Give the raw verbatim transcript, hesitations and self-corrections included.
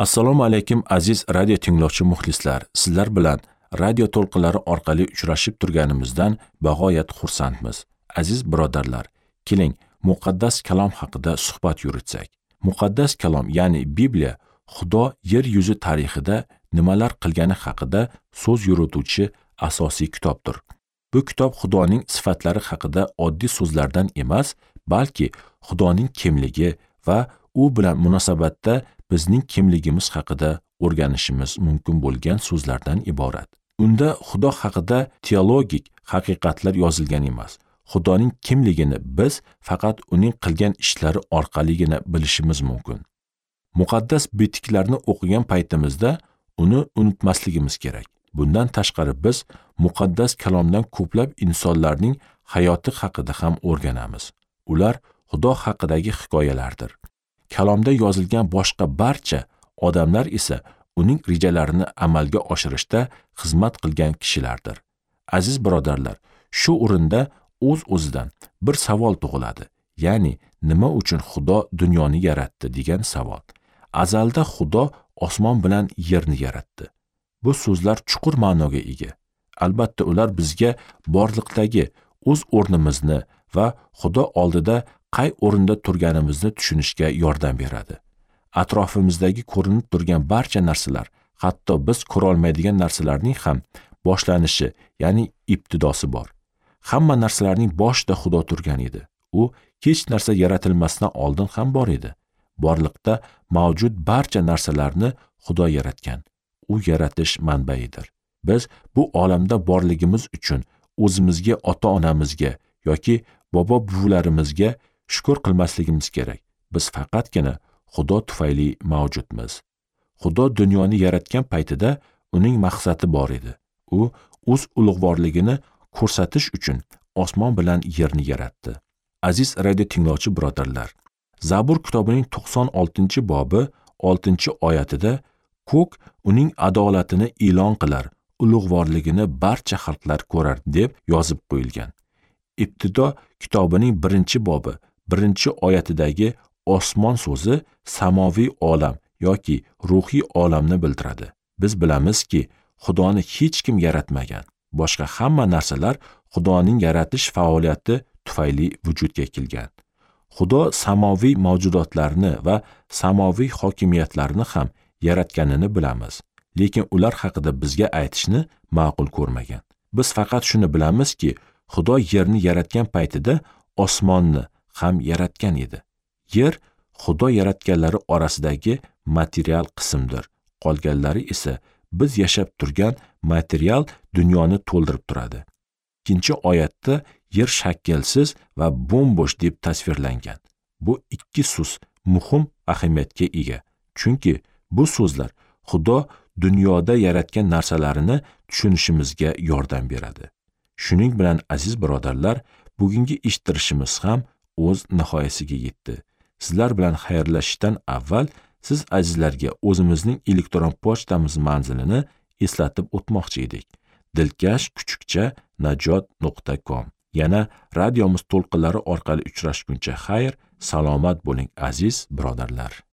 Assalomu alaykum aziz radio tinglovchi muxlislar. Sizlar bilan radio to'lqinlari orqali uchrashib turganimizdan bag'oyat xursandmiz. Aziz birodarlar, keling muqaddas kalom haqida suhbat yuritsak. Muqaddas kalom, ya'ni Bibliya, Xudo yer yuzi tarixida nimalar qilgani haqida so'z yurituvchi asosiy kitobdir. Bu kitob Xudoning sifatlari haqida oddiy so'zlardan emas, balki Xudoning kimligi va u bilan munosabatda bizning kimligimiz haqida o'rganishimiz mumkin bo'lgan so'zlardan iborat. Unda Xudo haqida teologik haqiqatlar yozilgan emas. Xudoning kimligini biz faqat uning qilgan ishlari orqaligina bilishimiz mumkin. Muqaddas bitiklarni o'qigan paytimizda uni unutmasligimiz kerak. Bundan tashqari biz muqaddas kalomdan ko'plab insonlarning hayoti haqida ham o'rganamiz. Ular Xudo haqidagi hikoyalardir. Kalomda yozilgan boshqa barcha odamlar esa uning rejalarini amalga oshirishda xizmat qilgan kishilardir. Aziz birodarlar, shu o'rinda o'z-o'zidan bir savol tug'iladi. Ya'ni nima uchun Xudo dunyoni yaratdi degan savol. Azalda Xudo osmon bilan yerni yaratdi. Bu so'zlar chuqur ma'noga ega. Albatta ular bizga borliqdagi o'z o'rnimizni va Xudo oldida qay o'rinda turganimizni tushunishga yordam beradi. Atrofimizdagi ko'rinib turgan barcha narsalar, hatto biz ko'ra olmaydigan narsalarning ham boshlanishi, ya'ni ibtidosi bor. Hamma narsalarning boshida Xudo turgan edi. U hech narsa yaratilmasdan oldin ham bor edi. Borliqda mavjud barcha narsalarni Xudo yaratgan. U yaratish manbaidir. Biz bu olamda borligimiz uchun o'zimizga, ota-onamizga yoki bobo-buvalarimizga shukr qilmasligimiz kerak. Biz faqatgina Xudo tufayli mavjudmiz. Xudo dunyoni yaratgan paytida uning maqsadi bor edi. U o'z ulug'vorligini ko'rsatish uchun osmon bilan yerni yaratdi. Aziz radio tinglovchi birodarlar, Zabur kitobining to'qson oltinchi bobi oltinchi oyatida ko'k uning adolatini e'lon qilar, ulug'vorligini barcha xalqlar ko'rar deb yozib qo'yilgan. Ibtido kitobining birinchi bobi birinchi oyatidagi osmon so'zi samoviy olam yoki ruhiy olamni bildiradi. Biz bilamizki, Xudoni hech kim yaratmagan. Boshqa hamma narsalar Xudoning yaratish faoliyati tufayli vujudga kelgan. Xudo samoviy mavjudotlarni va samoviy hokimiyatlarni ham yaratganini bilamiz, lekin ular haqida bizga aytishni ma'qul ko'rmagan. Biz faqat shuni bilamizki, Xudo yerni yaratgan paytida osmonni ham yaratgan edi. Yer Xudo yaratganlari orasidagi material qismdir. Qolganlari esa biz yashab turgan material dunyoni to'ldirib turadi. Ikkinchi oyatda yer shaklsiz va bo'm-bo'sh deb tasvirlangan. Bu ikki so'z muhim ahamiyatga ega. Chunki bu so'zlar Xudo dunyoda yaratgan narsalarini tushunishimizga yordam beradi. Shuning bilan aziz birodarlar, bugungi eshittirishimiz ham o'z nihoyasiga yetdi. Sizlar bilan xayrlashishdan avval siz azizlarga o'zimizning elektron pochtamiz manzilini eslatib o'tmoqchi edik. Dilkash kuchukcha najot nuqta com. Yana radiomiz to'lqinlari orqali uchrashguncha xayr, salomat bo'ling aziz birodarlar.